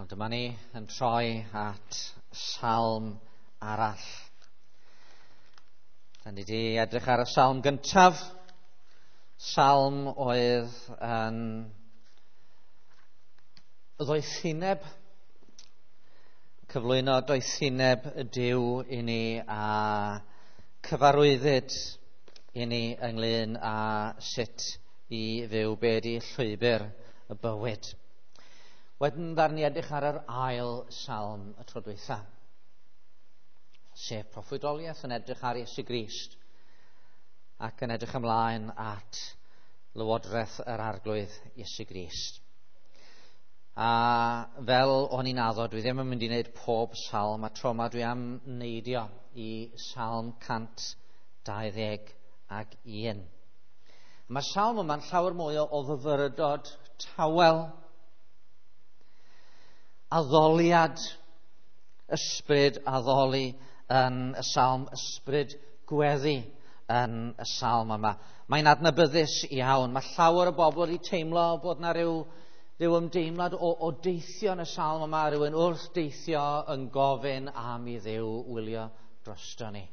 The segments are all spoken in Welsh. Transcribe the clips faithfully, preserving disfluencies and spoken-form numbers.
Ond dyma ni yn troi at salm arall. Da ni wedi edrych ar y salm gyntaf. Salm oedd yn ddoethineb, cyflwyno doethineb y Duw i ni a cyfarwyddyd i ni ynglyn â sut i fyw, be di llwybr y bywyd. Wedyn ddaru ni edrych ar yr ail salm y tro dwytha, sef proffwydoliaeth yn edrych ar Iesu Grist ac yn edrych ymlaen at lywodraeth yr Arglwydd Iesu Grist. A fel o'n i'n addo, dwi ddim yn mynd i wneud pob salm, a tro yma dwi am neidio i salm cant dau ddeg ag un. Mae'r salm yma'n llawer mwy o fyfyrdod tawel, addoliad, ysbryd addoli yn y salm, ysbryd gweddi yn y salm yma. Mae'n adnabyddus iawn. Mae llawer o bobl wedi teimlo bod yna rhyw, rhyw ymdeimlad o, o deithio yn y salm yma, rhywun wrth deithio yn gofyn am i Dduw wylio drosto ni.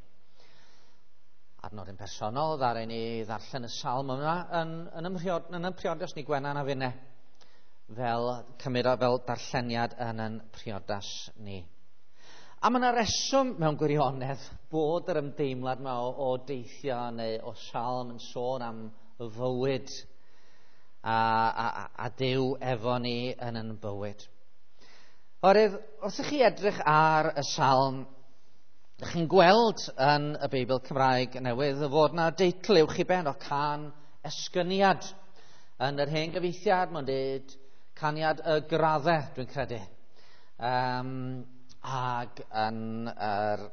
Ar nodyn personol, ddaru ni ddarllen y salm yma yn, yn, ymhriod, yn yn priodas ni, Gwenan a finne, fel cymryd o fel darlleniad yn yn priodas ni. A mae yna reswm mewn gwirionedd bod yr ymdeimlad yma o, o deithio neu o salm yn sôn am fywyd a, a, a Duw efo ni yn yn bywyd. Oherwydd, wrth i chi edrych ar y salm, ydych chi'n gweld yn y Beibl Cymraeg Newydd fod yna deitl uwch i ben o can esgyniad. Yn yr hen gyfieithiad, mae'n dweud caniad y graddau, dwi'n credu. Um, ag yn yr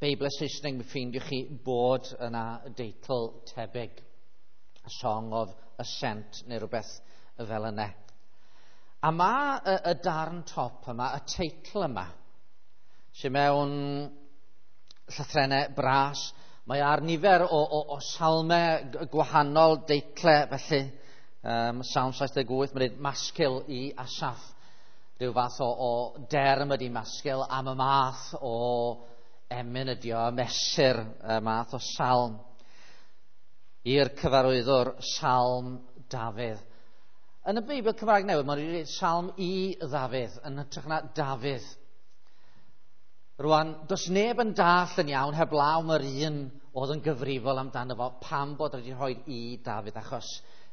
Beibl Saesneg, mi ffeindiwch chi bod yna deitl tebyg, A Song of Ascent neu rhywbeth fel yna. A mae y, y darn top yma, y teitl yma, sy'n mewn llythrennau bras, mae ar nifer o, o, o salmau gwahanol deitlau, felly um, Salm saith deg wyth, mae'n dweud masgil i Asaph, rhyw fath o, o derm ydy masgil am y math o emyn ydi o, mesur y math o salm. I'r cyfarwyddwr, Salm Dafydd. Yn y Beibl Cymraeg Newydd, mae'n dweud Salm i Ddafydd, yn hytrach na Dafydd. Rwan, does neb yn dall yn iawn heblaw mae'r un oedd yn gyfrifol amdano fo, pam bod wedi rhoi i Dafydd, achos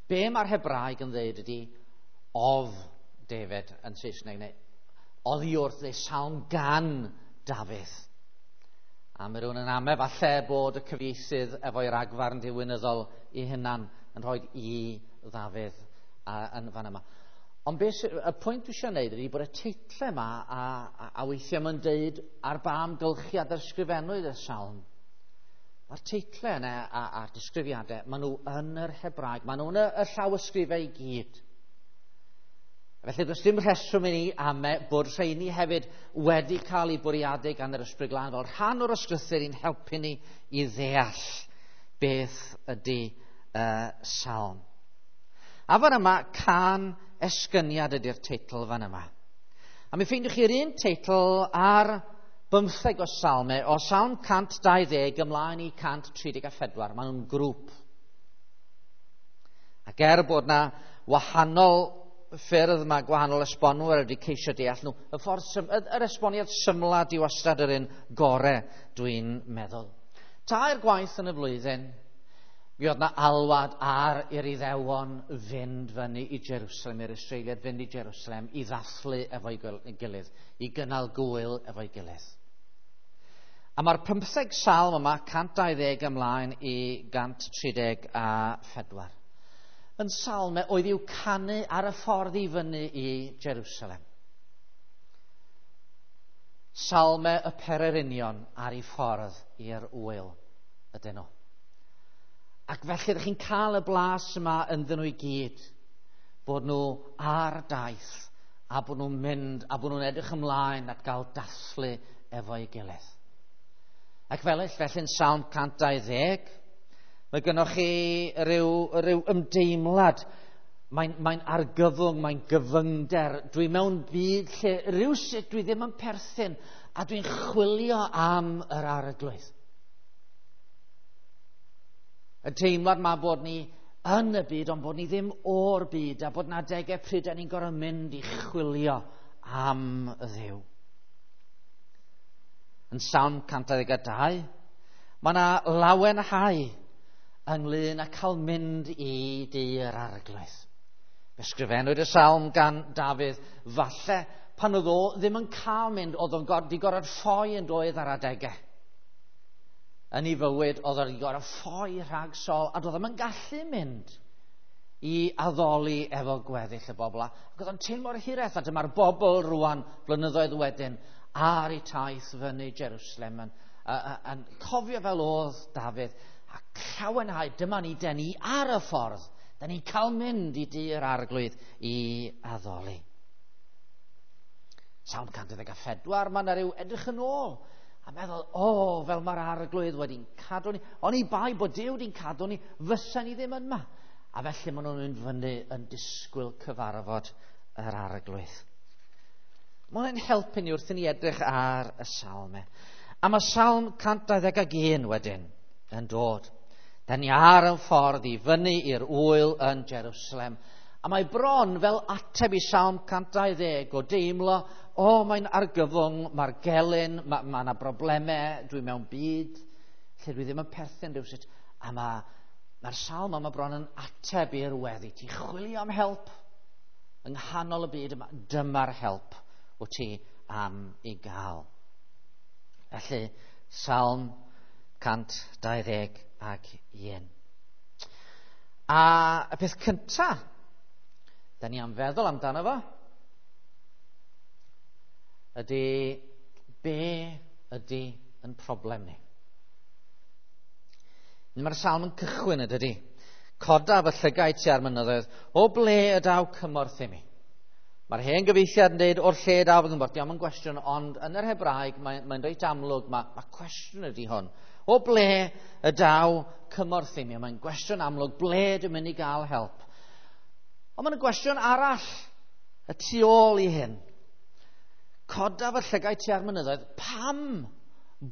be mae'r Hebraeg yn dweud ydy of David yn Saesneg, neu oddi wrth, neu salm gan Dafydd. A mae rhywun yn ame falle bod y cyfieithydd efo'i ragfarn diwinyddol i hunan yn rhoi i Ddafydd a, yn fan yma. Ond beth, y pwynt dwi eisiau gwneud ydy bod y teitlau yma a, a, a weithiau mae'n deud ar ba amgylchiad yr ysgrifennwyd y salm. Mae'r teitlau yna a'r disgrifiadau, maen nhw yn yr Hebraeg, maen nhw yn y, y llawysgrifau i gyd. Felly does dim rheswm i ni ame bod rheini hefyd wedi cael eu bwriadu gan yr Ysbryd Glân fel rhan o'r ysgrythur i'n helpu ni i ddeall beth ydy uh, salm. A fan yma, can esgyniad ydy'r teitl fan yma. A mi ffeindiwch chi'r un teitl ar bymtheg o salmau, o salm cant dau ddeg ymlaen i cant tri deg a phedwar. Maen nhw'n grŵp. Ac er bod na wahanol ffyrdd mae gwahanol esbonwyr wedi ceisio deall nhw, y ffordd sym, yr esboniad symla di wastad yr un gore, dwi'n meddwl. Tair gwaith yn y flwyddyn, mi oedd na alwad ar i'r Iddewon fynd fyny i Jerusalem, i'r Israeliad fynd i Jerusalem i ddathlu efo'i gilydd, i gynnal gwyl efo'i gilydd. A mae'r pymtheg salm yma, cant dau ddeg ymlaen i gant tri deg a phedwar, yn salmau oedd i'w canu ar y ffordd i fyny i Jerusalem. Salmau y pererinion ar ei ffordd i'r wyl ydyn nhw. Ac felly ydych chi'n cael y blas yma ynddyn nhw i gyd, bod nhw ar daith, a bod nhw'n mynd, a bod nhw'n edrych ymlaen at gael dathlu efo'i gilydd. Ac fel felly'n Salm cant dau ddeg, mae gennych chi ryw, ryw ymdeimlad Mae'n mae argyfwng, mae'n gyfyngder. Dwi mewn byd lle rhywsut dwi ddim yn perthyn a dwi'n chwilio am yr Arglwydd. Y teimlad ma bod ni yn y byd, ond bod ni ddim o'r byd, a bod na adegau pryd ni'n gorfod mynd i chwilio am y Dduw. Yn Salm cant dau ddeg a dau, mae yna lawenhau ynglyn â cael mynd i dŷ'r Arglwydd. Ysgrifennwyd y salm gan Dafydd, falle pan oedd o ddim yn cael mynd, oedd o'n wedi gorfod ffoi yn doedd ar adegau. Yn ei fywyd, oedd o'n gorfod ffoi rhag Saul, a doedd o'm yn gallu mynd i addoli efo gweddill y bobl. Ac oedd o'n teimlo'r hiraeth, a dyma'r bobl rwan blynyddoedd wedyn ar eu taith fyny Jerusalem yn, yn, yn cofio fel oedd Dafydd, a llawenhau, dyma ni, den ni ar y ffordd. Da ni'n cael mynd i dŷ'r Arglwydd i addoli. Salm cant dau ddeg a phedwar, mae yna rhyw edrych yn ôl a meddwl, o, oh, fel mae'r Arglwydd wedi'n cadw ni. Oni bai bod Duw wedi'n cadw ni, fysa ni ddim yma. A felly maen nhw'n mynd fyny yn disgwyl cyfarfod yr Arglwydd. Mae hwnna'n helpu ni wrth i ni edrych ar y salmau. A mae Salm cant dau ddeg ag un wedyn yn dod. Da ni ar y ffordd i fyny i'r ŵyl yn Jerusalem. A mae bron fel ateb i Salm cant dau ddeg o deimlo, o, oh, mae'n argyfwng, mae'r gelyn, mae yna ma broblemau, dwi mewn byd lle dwi ddim yn perthyn rhywsut. A mae'r ma salm yma bron yn ateb i'r weddi. Ti'n chwilio am help yng nghanol y byd yma, dyma'r help wyt ti am ei gael. Felly, Salm cant dau ddeg ag un. A y peth cynta, da ni am feddwl amdano fo, ydy be ydy yn problem ni. Mae'r salm yn cychwyn y dydy. Coda fy llygaid tua'r mynyddoedd, o ble y daw cymorth i mi? Mae'r hen gyfieithiad yn dweud o'r lle daw fy nghymorth. Diolch yn gwestiwn, ond yn yr Hebraeg mae'n mae reit amlwg, mae, mae cwestiwn ydy hwn. O ble y daw cymorth i mi? Mae'n gwestiwn amlwg, ble dwi'n mynd i gael help? Ond mae'n gwestiwn arall y tu ôl i hyn. Coda fy llygaid tua'r mynyddoedd, pam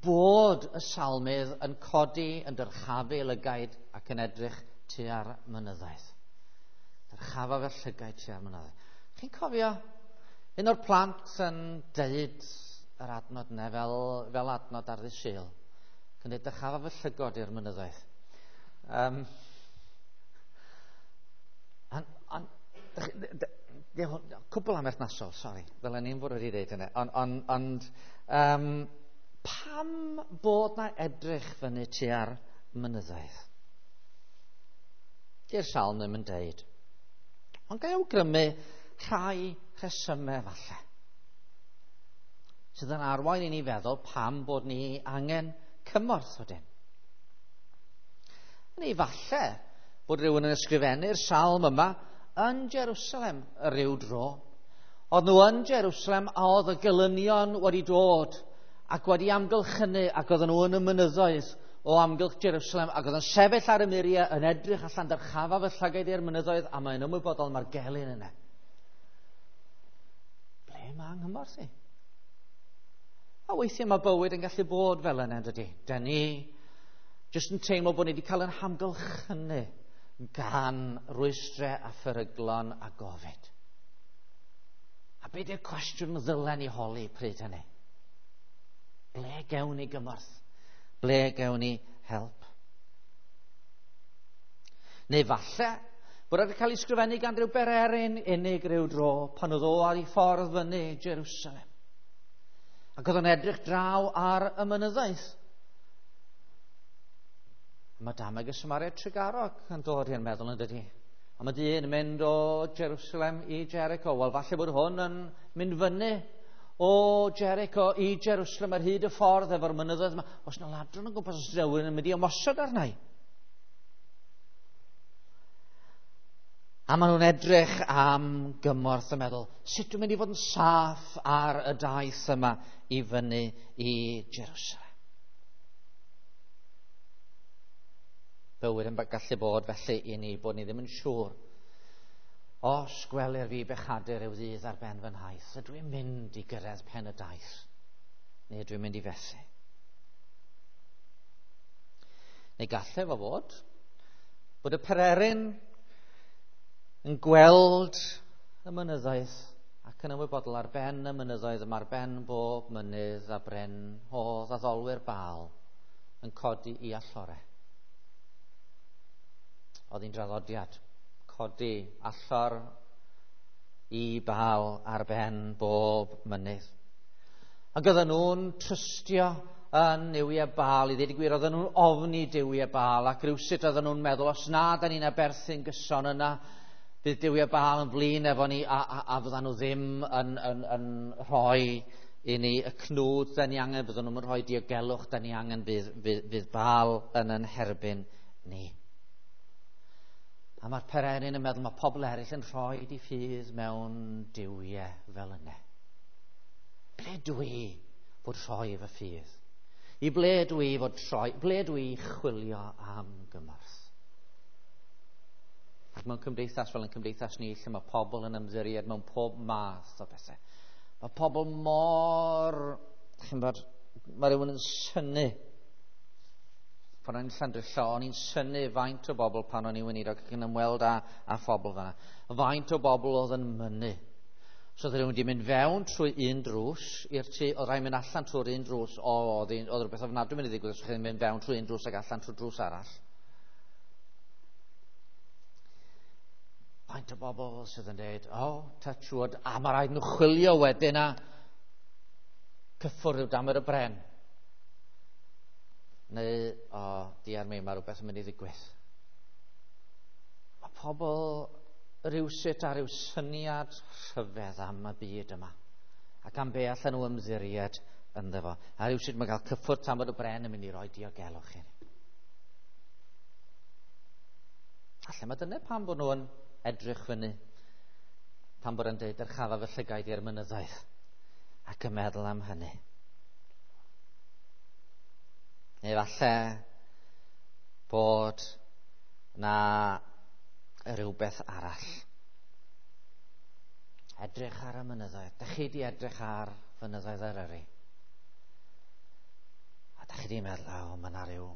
bod y salmydd yn codi, yn dyrchafu lygaid ac yn edrych tua'r mynyddoedd? Dyrchafa fy llygaid tua'r mynyddoedd. Chi'n cofio un o'r plant yn deud yr adnod yna fel, fel adnod ar ddydd Sul? Yn dweud, dyrchafa fy llygod i'r mynyddoedd. Um, an, an, cwbl amherthnasol, sori, ddylen ni'n fod wedi dweud hynny. Ond on, ond um, pam bod na edrych fyny tua'r mynyddoedd? Di'r salm ddim yn deud. Ond ga i awgrymu rhai rhesymau falle sydd yn arwain i ni feddwl pam bod ni angen cymorth wedyn. Neu falle bod rhywun yn ysgrifennu'r salm yma yn Jerusalem ryw dro. Oedd nhw yn Jerusalem a oedd y gelynion wedi dod ac wedi amgylchynu ac oedden nhw yn y mynyddoedd o amgylch Jerusalem ac oedd yn sefyll ar y muriau yn edrych allan dyrchafa fy llygaid i'r mynyddoedd a mae'n ymwybodol mae'r gelyn yna. Ble mae nghymorth i? A weithiau mae bywyd yn gallu bod fel yna, dydy. Da ni jyst yn teimlo bod ni wedi cael ein hamgylchynu gan rwystrau a pheryglon a gofid. A be di'r cwestiwn ddylen ni holi pryd hynny? Ble gewn ni gymorth? Ble gewn ni help? Neu falle bod wedi cael ei sgrifennu gan ryw bererin unig ryw dro pan oedd o ar ei ffordd fyny Jerusalem. Ac oedd o'n edrych draw ar y mynyddoedd. Mae dameg y Samariad Trugarog yn dod i'n meddwl yn dydy. A mae dyn yn mynd o Jerusalem i Jericho. Wel, falle bod hwn yn mynd fyny o Jericho i Jerusalem ar hyd y ffordd efo'r mynyddoedd yma. Oes yna ladron yn gwmpas, os rhywun yn mynd i ymosod arna i. A maen nhw'n edrych am gymorth yn meddwl, sut dwi'n mynd i fod yn saff ar y daith yma i fyny i Jerusalem? Bywyd yn gallu bod felly i ni bod ni ddim yn siŵr Os gwelir fi bechadur yw ddydd ar ben fy nhaith, ydw i'n mynd i gyrraedd pen y daith, neu ydw i'n mynd i fethu? Neu gallai fo fod bod y pererin yn gweld y mynyddoedd ac yn ymwybodol ar ben y mynyddoedd yma, ar ben bob mynydd a bryn oedd addolwyr Baal yn codi i allore. Oedd hi'n draddodiad codi allor i Baal ar ben bob mynydd. Ac oedden nhw'n trystio yn nuwiau Baal, i ddweud y gwir, oedden nhw'n ofni duwiau Baal, ac rywsut oedden nhw'n meddwl, os na da ni'n aberthu'n gyson yna, bydd duwiau Baal yn flin efo ni, a, a, a fyddan nhw ddim yn, yn, yn rhoi i ni y cnwd da ni angen, fyddan nhw'n rhoi diogelwch da ni angen, fydd, fydd, fydd Baal yn yn herbyn ni. A mae'r pererin yn meddwl mae pobl eraill yn rhoi di ffydd mewn duwiau fel yna. Ble dwi fod rhoi fy ffydd? I ble dwi fod troi? Ble dwi chwilio am gymorth? Ac mewn cymdeithas fel yn cymdeithas ni, lle mae pobl yn ymddiried mewn pob math o bethau. Mae pobl mor... Chi'n bod, mae rhywun yn synnu. Pan o'n i'n Llandrillo, o'n i'n synnu faint o bobl pan o'n i'n weinidog ac yn ymweld â, â phobl fan'na. Faint o bobl oedd yn mynnu. So oedd rhywun wedi mynd fewn trwy un drws i'r tŷ, oedd rhaid mynd allan trwy'r un drws, o, oedd, oedd rhywbeth ofnadwy mynd i ddigwydd os chi'n mynd fewn trwy un drws ac allan trwy drws arall. Faint o bobl sydd yn dweud, o, oh, touch wood, a mae rhaid nhw chwilio wedyn a cyffwrdd rhyw damer y bren. Neu, o, oh, diar mi, mae rhywbeth yn mynd i ddigwydd. Mae pobl rywsut ar ryw syniad rhyfedd am y byd yma, ac am be allan nhw ymddiried ynddo fo. A rywsut mae cael cyffwrdd tamad y bren yn mynd i roi diogelwch i ni. Alla mae dyna pam bod nhw'n edrych fyny, pam bod yn dweud dyrchafa fy llygaid i'r mynyddoedd, ac yn meddwl am hynny. Neu falle bod na rhywbeth arall. Edrych ar y mynyddoedd. Dach chi di edrych ar fynyddoedd Eryri? A dach chi di meddwl, o, mae yna rhyw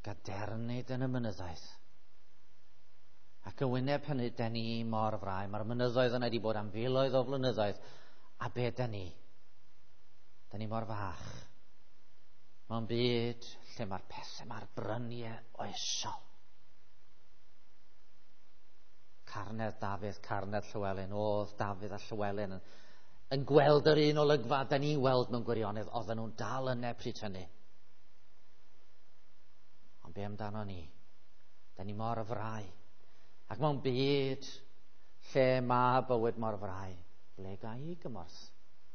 gadernid yn y mynyddoedd. Ac yn wyneb hynny, da ni mor frau. Mae'r mynyddoedd yna wedi bod am filoedd o flynyddoedd. A be da ni? Da ni mor fach. Mewn byd lle mae'r pethau, mae'r bryniau oesol. Carnedd Dafydd, carnedd Llywelyn, oedd Dafydd a Llywelyn yn, yn gweld yr un olygfa da ni'n weld mewn gwirionedd, oedden nhw'n dal yna pryd hynny. Ond be amdano ni? Da ni mor frau. Ac mewn byd lle mae bywyd mor frau, ble ga i gymorth?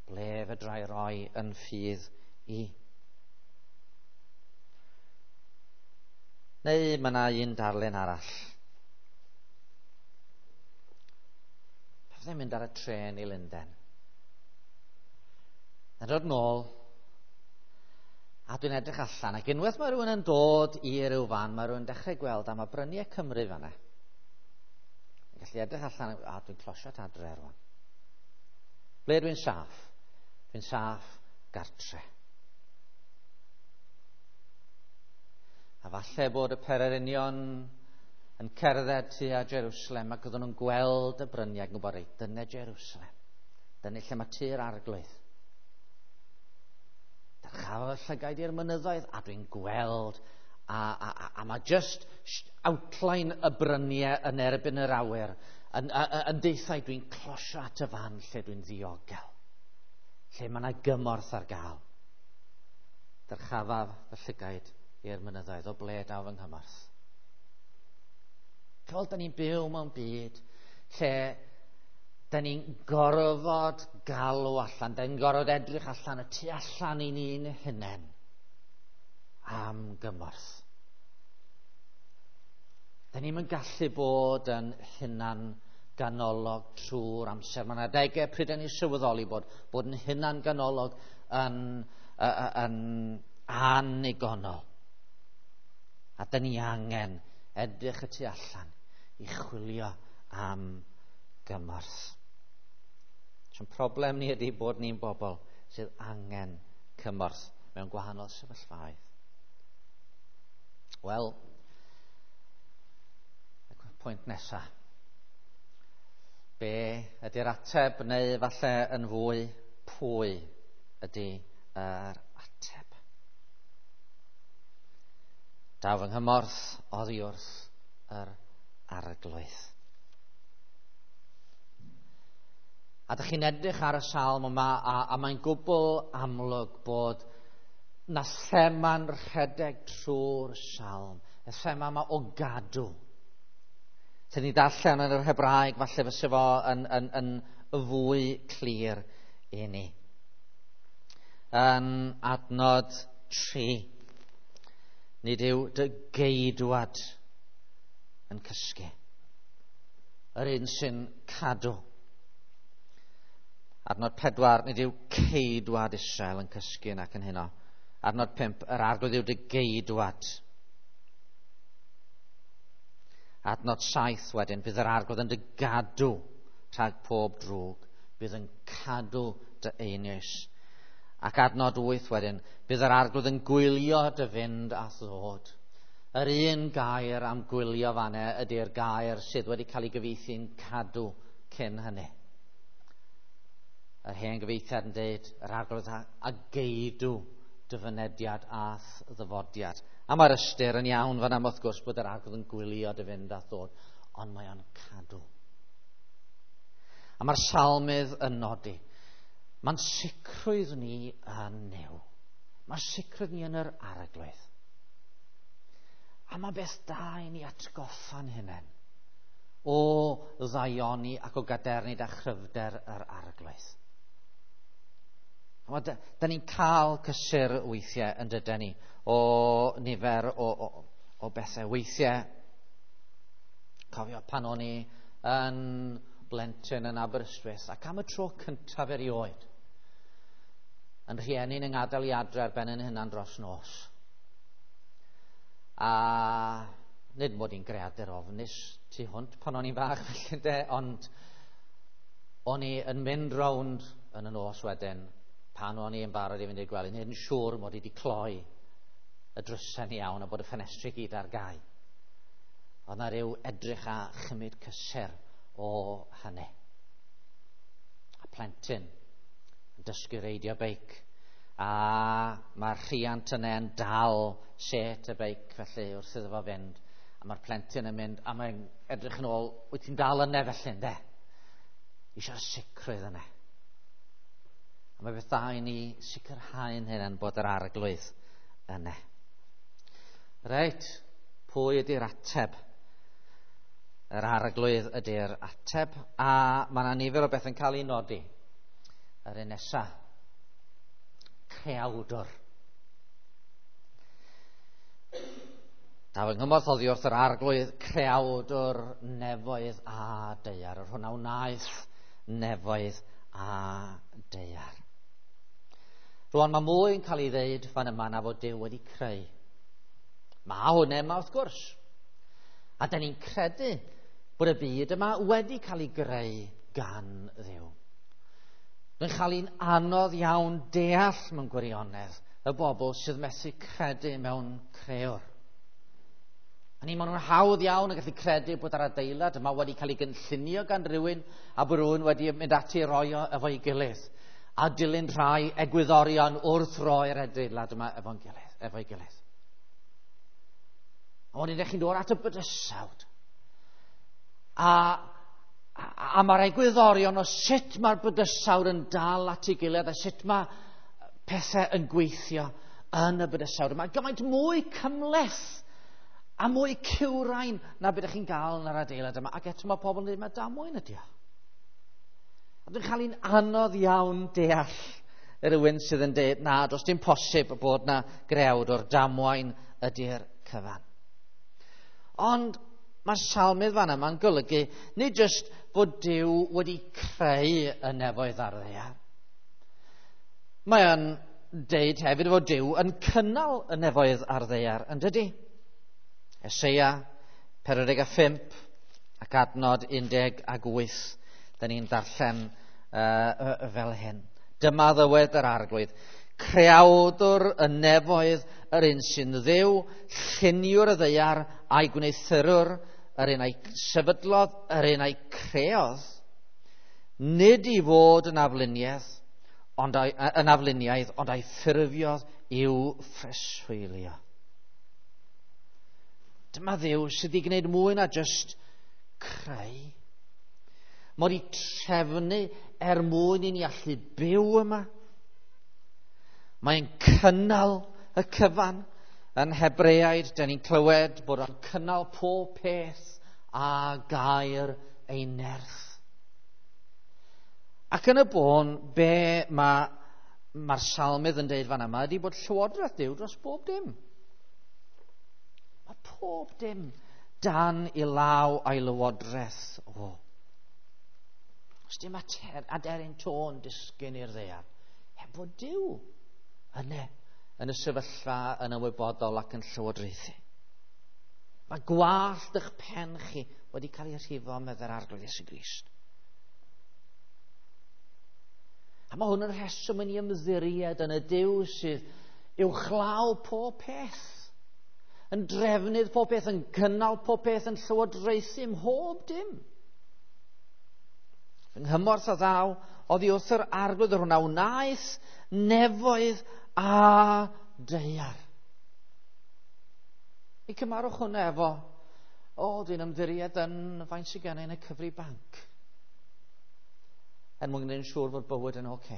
Ble fedra i roi yn ffydd i? Neu mae yna un darlun arall. Fyddai'n mynd ar y trên i Lundain. Yn dod nôl, a dwi'n edrych allan, ac unwaith mae rhywun yn dod i ryw fan, mae rhywun yn dechrau gweld am y bryniau Cymru fan'na. Yn gallu edrych allan, a dwi'n closio at adre rwan. Ble dwi'n saff? Dwi'n saff gartre. A falle bod y pererinion yn cerdded tua Jerusalem ac oedden nhw'n gweld y bryniau ac yn gwybod, reit, dyna Jerusalem. Dyna lle mae tŷ'r arglwydd. Dyrchaf y llygaid i'r mynyddoedd a dwi'n gweld a, a, a, a mae just outline y bryniau yn erbyn yr awyr yn, yn deithau dwi'n closio at y fan lle dwi'n ddiogel, lle mae yna gymorth ar gael. Dyrchafaf y llygaid i'r mynyddoedd, o ble daw fy nghymorth. Fel da ni'n byw mewn byd lle da ni'n gorfod galw allan, da ni'n gorfod edrych allan y tu allan i ni'n hunain am gymorth. Da ni'n yn gallu bod yn hunan ganolog trwy'r amser. Mae'n adegau pryd da ni'n sylweddoli bod, bod yn hunan ganolog yn, yn, yn annigonol. A da ni angen edrych y tu allan i chwilio am gymorth. Sy'n problem ni ydy bod ni'n bobl sydd angen cymorth mewn gwahanol sefyllfaoedd. Wel, y pwynt nesaf. Be ydy'r ateb, neu falle yn fwy, pwy ydy yr ateb? Daw fy nghymorth oddi wrth yr Arglwydd. A dych chi'n edrych ar y salm yma, a, a mae'n gwbl amlwg bod na thema'n rhedeg trwy'r salm. Y thema yma o gadw. Sy'n ni darllen yn yr Hebraeg, falle fysa fo yn, yn, yn fwy clir i ni. Yn adnod tri, nid yw dy geidwad yn cysgu. Yr un sy'n cadw. Adnod pedwar, nid yw ceidwad Israel yn cysgu nac yn heno. Adnod pump, yr Arglwydd yw dy geidwad. Adnod saith wedyn, bydd yr Arglwydd yn dy gadw rhag pob drwg, bydd yn cadw dy einioes. Ac adnod wyth wedyn, bydd yr Arglwydd yn gwylio dy fynd a ddod. Yr un gair am gwylio fanne ydy'r gair sydd wedi cael ei gyfieithu'n cadw cyn hynny. Yr hen gyfieithiad yn dweud, yr Arglwydd a geidw dy fynediad a'th ddyfodiad. A mae'r ystyr yn iawn fan am wrth gwrs bod yr Arglwydd yn gwylio dy fynd a ddod, ond mae o'n cadw. A mae'r salmydd yn nodi, mae'n sicrwydd ni yn Nuw. Mae'n sicrwydd ni yn yr Arglwydd. A mae beth da i ni atgoffa'n hunain o ddaioni ac o gadernid a chryfder yr Arglwydd. A da, da ni'n cael cysur weithiau yn dydyn ni o nifer o, o, o bethau. Weithiau, cofio pan o'n i yn blentyn yn Aberystwyth, ac am y tro cyntaf erioed, yn rhieni'n yng ngadael i adre ar ben yn hunan dros nos. A nid mod i'n greadur ofnus tu hwnt pan o'n i'n fach felly de, ond o'n i yn mynd rownd yn y nos wedyn pan o'n i yn barod i fynd i'r gwely, nid yn siŵr mod i wedi cloi y drysau'n iawn a bod y ffenestri gyd ar gau. Oedd na ryw edrych a chymryd cysur o hynny. A plentyn yn dysgu reidio beic, a mae'r rhiant yna yn dal set y beic felly wrth iddo fo fynd, a mae'r plentyn yn mynd a mae'n edrych yn ôl, wyt ti'n dal yna felly, ynde? Eisiau'r sicrwydd yna. A mae beth da i ni sicrhau'n hynny bod yr Arglwydd yna. Reit, pwy ydy'r ateb? Yr Arglwydd ydy'r ateb, a mae yna nifer o beth yn cael ei nodi. Yr un nesa, creawdwr. Daw yng nghymorth oddi wrth yr Arglwydd, creawdwr nefoedd a daear. Yr hwnna wnaeth nefoedd a daear. Rwan mae mwy yn cael ei ddeud fan yma na fod Duw wedi creu. Mae hwnna yma wrth gwrs. A da ni'n credu bod y byd yma wedi cael ei greu gan Dduw. Mae'n cael ein anodd iawn deall mewn gwirionedd y bobl sydd methu credu mewn crëwr. A ni, maen nhw'n hawdd iawn yn gallu credu bod yr adeilad yma wedi cael ei gynllunio gan rhywun a bod rhywun wedi mynd ati i roi o efo'i gilydd a dilyn rhai egwyddorion wrth roi'r adeilad yma efo'n gilydd, efo'i gilydd. A wedyn ydych chi'n dod at y bydysawd. A, a, a mae'r egwyddorion o sut mae'r bydysawd yn dal at ei gilydd a sut mae pethau yn gweithio yn y bydysawd yma. Gymaint mwy cymhleth a mwy cywrain na beth ydych chi'n gael yn yr adeilad yma. Ac eto mae pobl yn dweud, mae damwain ydi o. A dwi'n cael un anodd iawn deall rhywun sydd yn dweud, na, does dim posib bod na grewd o'r damwain ydy'r cyfan. Ond mae'r salmydd fan yma'n golygu nid jyst bod Duw wedi creu y nefoedd a'r ddaear. Mae o'n deud hefyd fod Duw yn cynnal y nefoedd a'r ddaear, yn dydi? Eseia pedwar deg pump ac adnod un deg wyth. Da ni'n darllen uh, fel hyn. Dyma ddywed yr Arglwydd. Creawdwr y nefoedd, yr un sy'n Dduw, lluniwr y ddaear a'i gwneuthurwr, yr un a'i sefydlodd, yr un a'i creodd, nid i fod yn afluniaeth, ond a'i, yn afluniaidd, ond a'i ffurfiodd i'w phreswylio. Dyma Dduw sydd wedi gwneud mwy na jyst creu. Mae wedi trefnu er mwyn i ni allu byw yma. Mae'n cynnal y cyfan. Yn Hebreaid, da ni'n clywed bod o'n cynnal pob peth a gair ei nerth. Ac yn y bôn, be mae'r ma salmydd yn deud fan yma ydy bod llywodraeth Duw dros bob dim. Mae pob dim dan i law a'i lywodraeth o. Os dim aderyn tôn disgyn i'r ddaear, heb fod Duw yna yn y sefyllfa yn ymwybodol ac yn llywodraethu. Mae gwallt eich pen chi wedi cael ei rhifo meddai'r Arglwydd Iesu Grist. A mae hwn yn rheswm yn ei ymddiried yn y Duw sydd uwchlaw pob peth, yn drefnydd pob peth, yn cynnal pob peth, yn llywodraethu mhob dim. Fy nghymorth a ddaw oddi wrth yr Arglwydd, yr hwn a wnaeth nefoedd a daear. I cymarwch hwnna efo, o, dwi'n ymddiried yn faint sydd gen i yn y cyfri banc, er mwyn gwneud yn siŵr fod bywyd yn oce.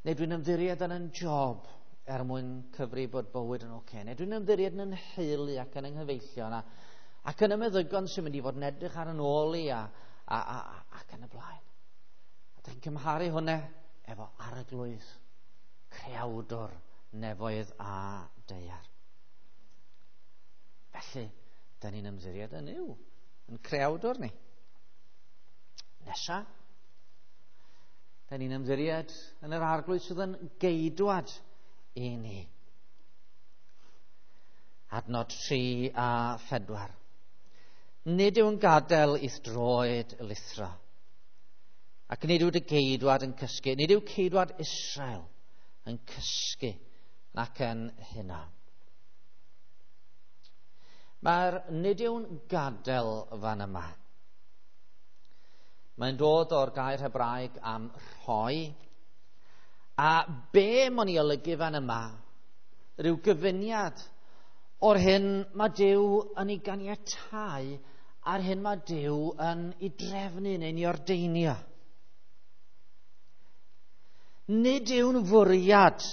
Neu dwi'n ymddiried yn yn job er mwyn cyfri bod bywyd yn oce. Neu dwi'n ymddiried yn yn nheulu ac yn yng nghyfeillion a, ac yn y meddygon sy'n mynd i fod yn edrych ar yn ôl i a, a, a, ac yn y blaen. A dwi'n cymharu hwnna efo Arglwydd, creawdwr nefoedd a daear. Felly, da ni'n ymddiried yn Nuw, yn creawdwr ni. Nesa, da ni'n ymddiried yn yr Arglwydd sydd yn geidwad i ni. Adnod tri a phedwar. Nid yw'n gadael i'th droed lithro, ac nid yw dy geidwad yn cysgu, nid yw ceidwad Israel yn cysgu nac yn hynna. Mae'r nid yw'n gadael fan yma. Mae'n dod o'r gair Hebraeg am rhoi. A be mae'n ei olygu fan yma? Rhyw gyfuniad o'r hyn mae Duw yn ei ganiatáu a'r hyn mae Duw yn ei drefnu neu'n ei ordeinio. Nid yw'n fwriad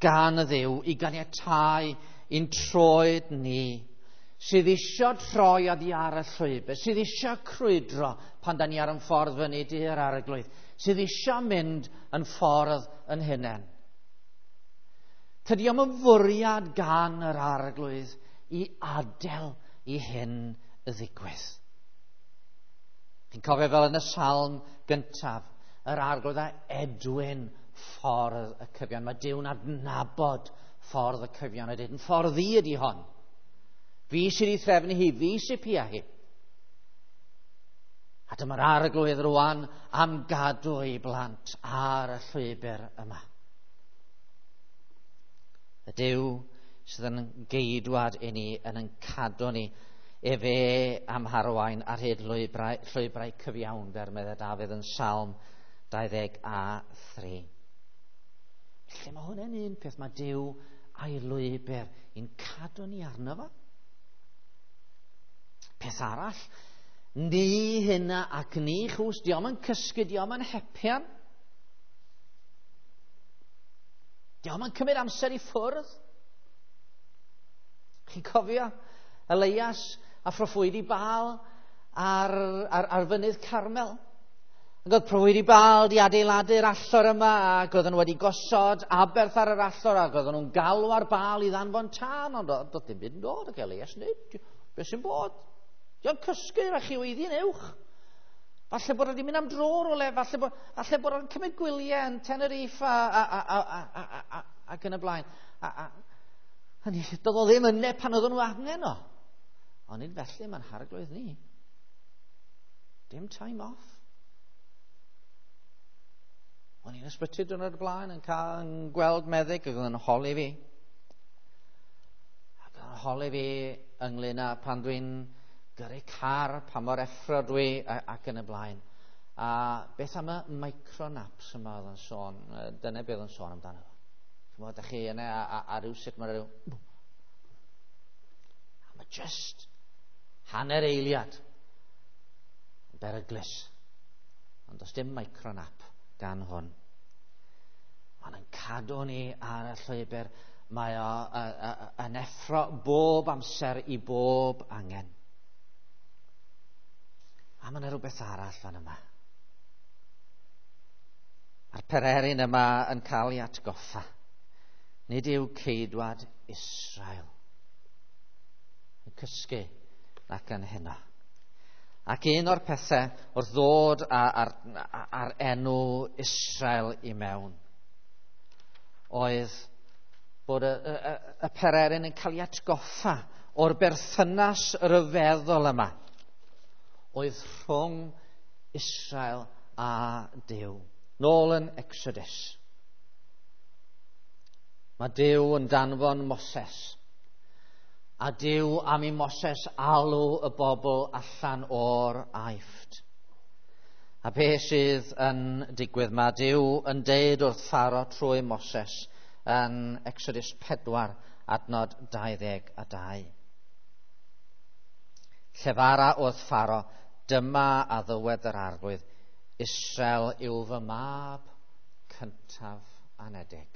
gan y Dduw i ganiatáu i'n troed ni sydd isio troi oddi ar y llwybr, sydd isio crwydro pan da ni ar yn ffordd fyny i'r Arglwydd, sydd isio mynd yn ffordd yn hunain. Tydi o'm yn fwriad gan yr Arglwydd i adael i hyn ddigwydd. Chi'n cofio fel yn y salm gyntaf, yr Arglwydd a edwyn ffordd y cyfion. Mae Duw'n adnabod ffordd y cyfion a dweud, yn ffordd i ydi hon. Fi sydd wedi threfnu hi, fi sydd pia hi. A dyma'r Arglwydd rwan am gadw ei blant ar y llwybr yma. Y Duw sydd yn geidwad i ni, yn yn cadw ni, efe am harwain ar hyd llwybrau, llwybrau cyfiawnder, meddai Dafydd yn Salm dau ddeg a thri. Felly mae hwn yn un peth, mae Duw a'i lwybr i'n cadw ni arno fo. Peth arall, ni hynna ac ni chws, diom yn cysgu, diom yn hepian. Diom yn cymryd amser i ffwrdd. Chi'n cofio Elias a phroffwydi Baal ar, ar, ar fynydd Carmel? Ac oedd proffwydi Baal di adeiladu'r allor yma, ac oedden nhw wedi gosod aberth ar yr allor, ac oedden nhw'n galw ar Baal i ddanfon tân, ond doedd dim byd yn dod, ac Elias nid, beth sy'n bod? Dio'n cysgu, a chi weiddi'n uwch. Falle bod wedi mynd am dro rywle, falle bod, falle bod o'n cymryd gwyliau yn Tenerife a, a, a, a, a, a, a, ac yn y blaen. A, a, hynny, doedd o ddim yna pan oedden nhw angen o. Ond nid felly mae'n harglwydd ni. Dim time off. O'n i'n ysbyty diwrnod o'r blaen yn, cael, yn gweld meddyg ac oedd yn holi fi. Ac oedd yn holi fi ynglyn â pan dwi'n gyrru car, pa mor effro dwi ac yn y blaen. A beth am y micronaps yma oedd yn sôn, dyna beth oedd yn sôn amdano. Chymod, da chi yna a, a, a rhywsut mae rhyw... A mae just hanner eiliad yn beryglus. Ond does dim micronap gan hwn. Mae'n cadw ni ar y llwybr. Mae o yn effro bob amser i bob angen. A mae yna rhywbeth arall fan yma. Mae'r pererin yma yn cael ei atgoffa. Nid yw ceidwad Israel yn cysgu nac yn heno. Ac un o'r pethau wrth ddod ar, ar, ar enw Israel i mewn oedd bod y, y, y pererin yn cael ei atgoffa o'r berthynas ryfeddol yma oedd rhwng Israel a Duw. Nôl yn Exodus. Mae Duw yn danfon Moses. A Duw am i Moses alw y bobl allan o'r Aifft. A be sydd yn digwydd? Mae Duw yn deud wrth Pharaoh trwy Moses yn Exodus pedwar, adnod dau ddeg a dau. Llefara wrth Pharaoh, dyma a ddywed yr Arglwydd, Israel yw fy mab cyntaf anedig.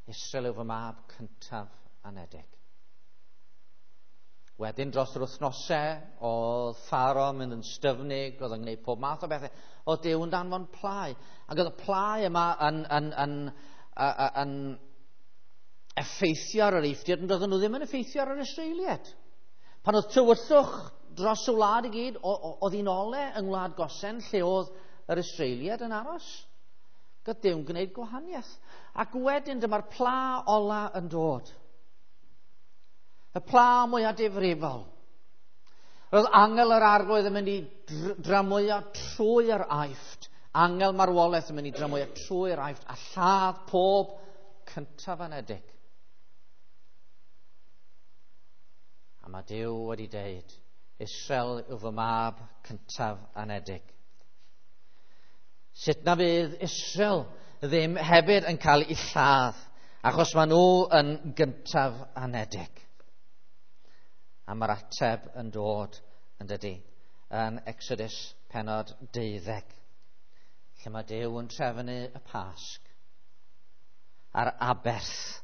Israel yw fy mab cyntaf anedig. Wedyn dros yr wythnosau, oedd Pharaoh mynd yn styfnig, oedd yn gwneud pob math o bethau. Oedd Duw yn danfon plau. Ac oedd y plau yma yn, yn, yn, yn, yn effeithio ar yr Eifftiaid, ond oedden nhw ddim yn effeithio ar yr Israeliaid. Pan oedd tywyllwch dros y wlad i gyd, oedd hi'n ole yng Ngwlad Gosen, lle oedd yr Israeliaid yn aros. Gyda Duw'n gwneud gwahaniaeth. Ac wedyn dyma'r pla ola yn dod. Y pla mwyaf difrifol. Roedd angel yr Arglwydd yn mynd i dramwyo trwy'r Aifft. Angel marwolaeth yn mynd i dramwyo trwy'r Aifft a lladd pob cyntaf anedig. A mae Duw wedi deud, Israel yw fy mab cyntaf anedig. Sut na fydd Israel ddim hefyd yn cael ei lladd, achos maen nhw yn gyntaf anedig. A mae'r ateb yn dod yn dydy, yn Exodus pennod deuddeg, lle mae Duw yn trefnu y Pasg a'r aberth.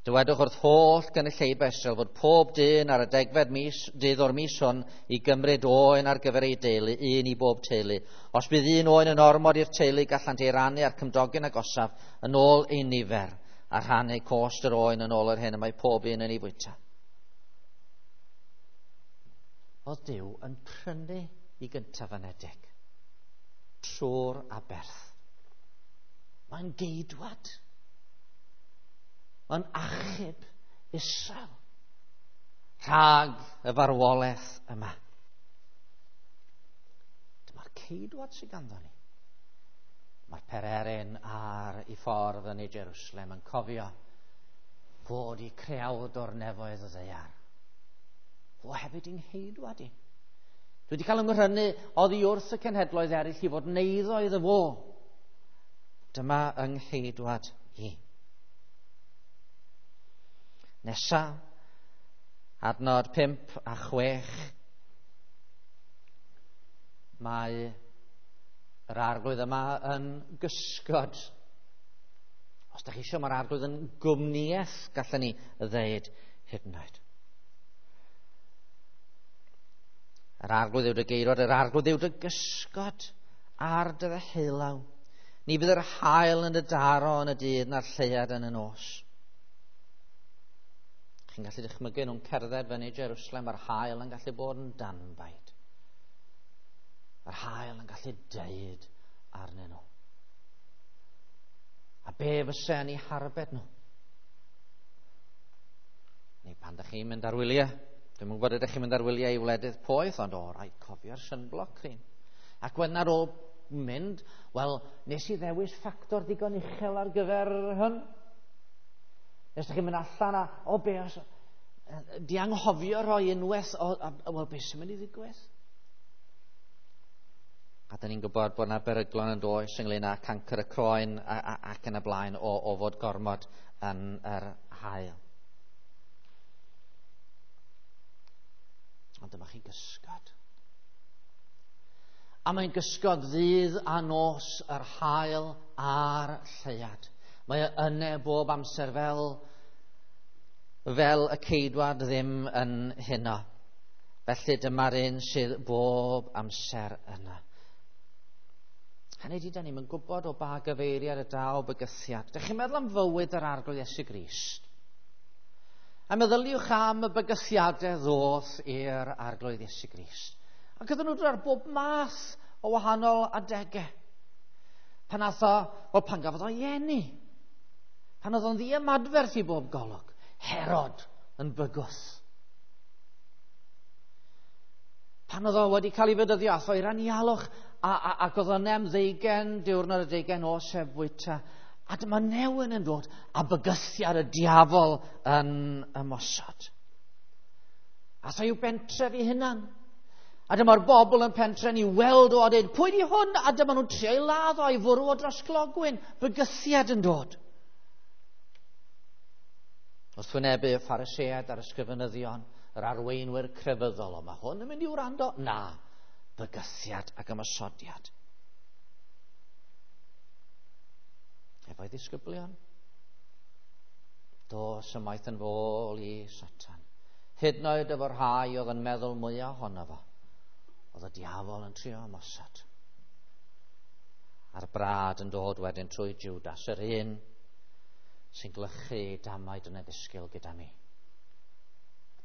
Dywedwch wrth holl gynulleidfa Israel fod pob dyn ar y degfed mis, dydd o'r mis hwn i gymryd oen ar gyfer ei deulu, un i bob teulu. Os bydd un oen yn ormod i'r teulu, gallant ei rannu â'r cymdogion agosaf yn ôl ei nifer, a rhannu cost yr oen yn ôl yr hyn y mae pob un yn ei fwyta. Oedd Duw yn prynu i gyntaf anedig trwy'r aberth. Mae'n geidwad. Mae'n achub Israel rhag y farwolaeth yma. Dyma'r ceidwad sydd ganddo ni. Mae'r pererin ar ei ffordd yn ei Jerusalem yn cofio fod i creawd o'r nefoedd y ddaear. Fo hefyd i'n ngheidwad i. Dwi wedi cael ymrynu oddi wrth y cenhedloedd eraill i fod yn eiddo iddo fo. Dyma yng ngheidwad i. Nesa, adnod pump a chwech, mae yr Arglwydd yma yn gysgod. Os da chi eisiau, mae'r Arglwydd yn gwmnïaeth, gallwn ni ddeud hyd yn oed. Yr Arglwydd yw dy geirwad, yr Arglwydd yw dy gysgod ar dy ddeheulaw. Ni fydd yr haul yn dy daro yn y dydd na'r lleuad yn y nos. Chi'n gallu dychmygu nhw'n cerdded fyny Jerusalem, mae'r haul yn gallu bod yn danbaid. Mae'r haul yn gallu deud arnyn nhw. A be fysa yn eu harbed nhw? Neu pan da chi'n mynd ar wyliau, Dwi'm yn gwybod ydych chi'n mynd ar wyliau i wledydd poeth, ond o, rhaid cofio'r sunblock cream. Ac wedyn ar ôl mynd, wel, nes i ddewis ffactor digon uchel ar gyfer hyn. Nes ydych chi'n mynd allan a, o, be os... Di anghofio rhoi unwaith, o, a, wel, beth sy'n mynd i ddigwydd? A da ni'n gwybod bod yna beryglon yn does ynglyn â cancr y croen a, a, ac yn y blaen o, o fod gormod yn yr haul. Ond dyma chi gysgod. A mae'n gysgod ddydd a nos yr haul a'r lleuad. Mae e yne bob amser fel, fel y ceidwad ddim yn huno. Felly dyma'r un sydd bob amser yna. Hynny ydy, da ni'n gwybod o ba gyfeiriad y daw bygythiad. Dych chi'n meddwl am fywyd yr Arglwydd Iesu Grist? A meddyliwch am y bygythiadau ddoth i'r Arglwydd Iesu Grist. Ac oedden nhw ar bob math o wahanol adegau. Pan ath o, wel, pan gafodd o'i eni. Pan oedd o'n ddiymadferth i bob golwg. Herod yn bygwth. Pan oedd o wedi cael ei fedyddio, ath o i'r anialwch, a, a, ac oedd o'n am ddeugain, diwrnod y deugain os heb fwyta. A dyma newyn yn dod, a bygythiad y diafol yn ymosod. Ath o i'w bentref ei hunan. A dyma'r bobl yn pentre'n i weld o a dweud, pwy di hwn? A dyma nhw'n trio ei ladd o a'i fwrw o dros glogwyn. Bygythiad yn dod. Wrth wynebu y Phariseaid a'r ysgrifenyddion, yr arweinwyr crefyddol, o mae hwn yn mynd i wrando? Na, bygythiad ac ymosodiad. Efo'i ddisgyblion, dos ymaith yn fôl i Satan. Hyd yn oed efo'r rhai oedd yn meddwl mwyaf ohono fo, oedd y diafol yn trio ymosod. A'r brad yn dod wedyn trwy Judas, yr un sy'n glychu damaid yn y ddisgyl gyda mi.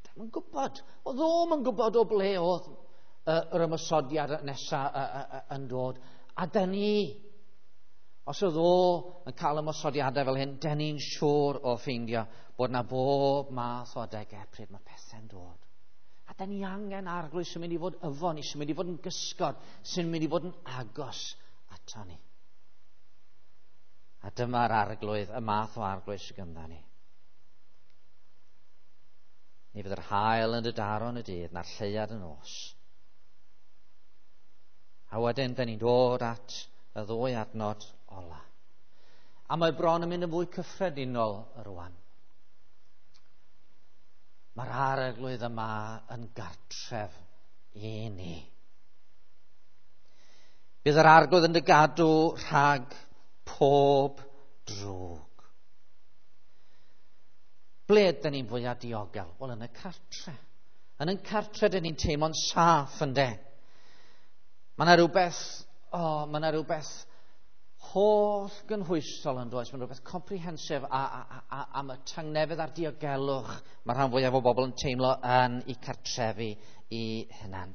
Dim yn gwybod, oedd o'm yn gwybod o ble oedd yr ymosodiad nesaf yn dod. A dyn ni, os oedd o yn cael ymosodiadau fel hyn, dyn ni'n siŵr o ffeindio bod na bob math o adegau pryd mae pethau'n dod. A dyn ni angen Arglwydd sy'n mynd i fod efo ni, sy'n mynd i fod yn gysgod, sy'n mynd i fod yn agos ato ni. A dyma'r Arglwydd, y math o Arglwydd sydd gyda ni. Ni fydd yr haul yn dy daro yn y dydd, na'r lleuad yn nos. A wedyn, dyn ni'n dod at y ddwy adnod ola. A mae bron yn mynd yn fwy cyffredinol rwan. Mae'r Arglwydd yma yn gartref i ni. Bydd yr Arglwydd yn dy gadw rhag pob drwg. Ble ydyn ni'n fwyaf diogel? Wel, yn y cartre. Yn y cartre dyn ni'n teimlo'n saff, ynde? Mae yna rhywbeth, o, oh, mae yna rhywbeth holl gynhwysol yn does. Mae rhywbeth comprehensive a, a, a, am y tangnefedd a'r diogelwch mae rhan fwyaf o bobl yn teimlo yn eu cartrefi i hunan.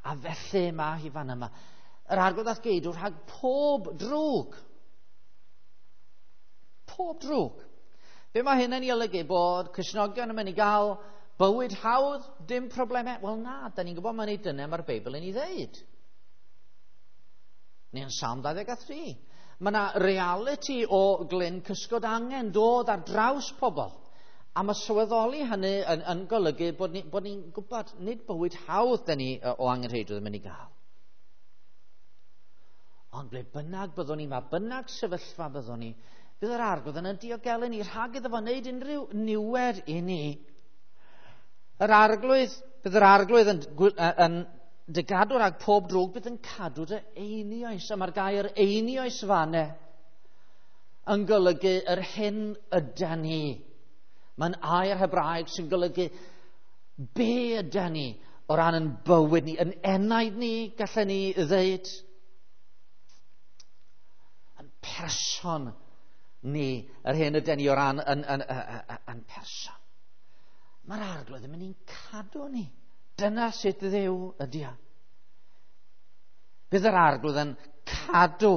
A felly mae hi fan yma. Yr Arglwydd ath geidw rhag pob drwg. Pob drwg. Be mae hyn yn ei olygu? Bod Cristnogion yn mynd i gael bywyd hawdd, dim problemau? Wel na, da ni'n gwybod mae'n ei dyna mae'r Beibl yn ei ddeud. Neu yn Salm dau ddeg a thri. Mae yna reality o glyn cysgod angen dod ar draws pobl. A mae sylweddoli hynny yn, yn golygu bod ni'n ni gwybod nid bywyd hawdd da ni o angenrheidrwydd yn mynd i gael. Ond ble bynnag byddwn ni, mae bynnag sefyllfa byddwn ni, bydd yr Arglwydd yn diogelu ni rhag iddo fo wneud unrhyw niwed i ni. Yr Arglwydd, bydd yr Arglwydd yn, yn dy gadw rhag pob drwg, bydd yn cadw dy einioes. A mae'r gair einioes fanne yn golygu yr hyn ydan ni. Mae'n air Hebraeg sy'n golygu be ydan ni o ran yn bywyd ni, yn enaid ni, gallen ni ddeud. Yn person ni, yr hyn ydan ni o ran yn, yn, yn, yn, yn person. Mae'r Arglwydd yn mynd i'n cadw ni. Dyna sut Dduw ydy o. Bydd yr Arglwydd yn cadw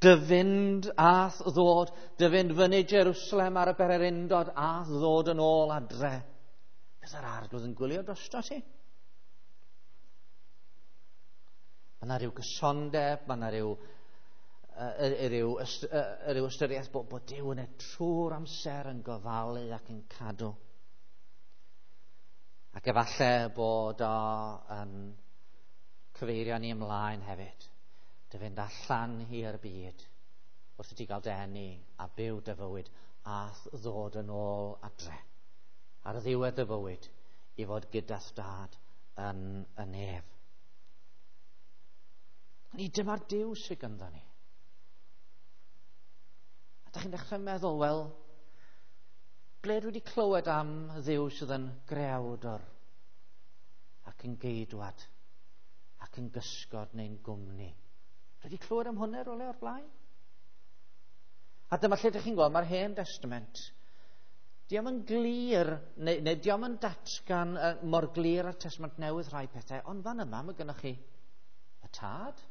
dy fynd a'th ddod, dy fynd fyny Jerusalem ar y bererindod a'th ddod yn ôl adre. Bydd yr Arglwydd yn gwylio drosto ti. Mae yna rhyw gysondeb, mae yna rhyw, uh, rhyw, uh, rhyw ystyriaeth bod, bod Duw yn y trwy'r amser yn gofalu ac yn cadw. Ac efallai bod o yn cyfeirio ni ymlaen hefyd, dy fynd allan i'r byd wrth i ti gael denu a byw dy fywyd a ddod yn ôl adre ar ddiwedd dy fywyd i fod gyda'th dad yn y nef. Ni dyma'r Duw sydd ganddo ni. A da chi'n dechrau meddwl, wel, ble dwi wedi clywed am Dduw sydd yn greawdwr ac yn geidwad ac yn gysgod neu'n gwmni? Dwi wedi clywed am hwnna rywle o'r blaen? A dyma lle ydych chi'n gweld, mae'r Hen Testament, dio'm yn glir, neu, neu dio'm yn datgan uh, mor glir â'r Testament Newydd rhai pethau, ond fan yma mae gennych chi y Tad,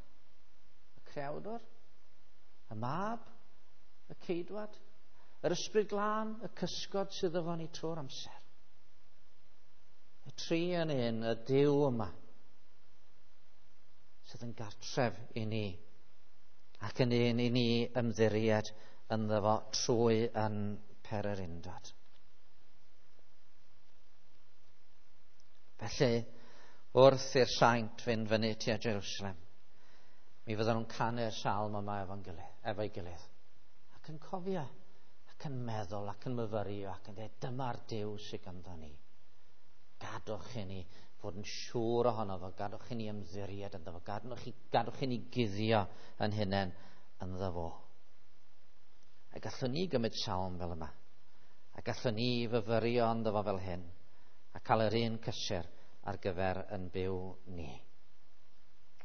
y Creawdwr, y Mab, y Ceidwad, yr Ysbryd Glân, y cysgod sydd efo ni trwy'r amser. Y tri yn un, y Duw yma, sydd yn gartref i ni, ac yn un i ni ymddiried ynddo fo trwy yn pererindod. Felly, wrth i'r saint fynd fyny tua Jerusalem, mi fydden nhw'n canu'r salm yma efo'n gilydd, efo'i gilydd, ac yn cofio, ac yn meddwl, ac yn myfyrio, ac yn dweud, dyma'r Duw sydd ganddo ni. Gadwch i ni fod yn siŵr ohono fo, gadwch i ni ymddiried ynddo fo, gadwch i, gadwch i ni guddio yn hunain ynddo fo. A gallwn ni gymryd salm fel yma, a gallwn ni fyfyrio ynddo fo fel hyn, a cael yr un cysur ar gyfer yn byw ni.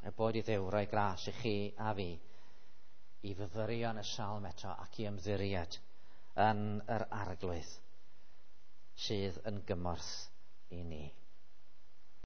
A boed i Dduw roi gras i chi a fi i fyfyrio yn y salm eto ac i ymddiried yn yr Arglwydd sydd yn gymorth i ni.